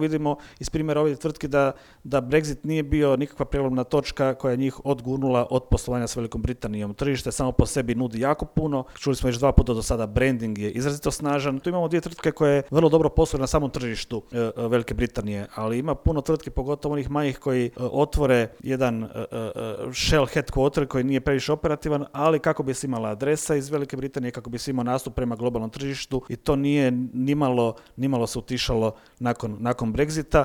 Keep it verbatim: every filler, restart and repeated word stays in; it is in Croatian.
Vidimo iz primjera ovih tvrtki da, da Brexit nije bio nikakva prijelomna točka koja je njih odgurnula od poslovanja s Velikom Britanijom. Tržište samo po sebi nudi jako puno. Čuli smo već dva puta do sada, branding je izrazito snažan. Tu imamo dvije tvrtke koje vrlo dobro posluju na samom tržištu e, Velike Britanije, ali ima puno tvrtki, pogotovo onih manjih koji e, otvore jedan e, e, shell headquarter koji nije previše operativan, ali kako bi se imala adresa iz Velike Britanije, kako bi se imao nastup prema globalnom tržištu i to nije nimalo, nimalo se utišalo nakon, nakon Brexita.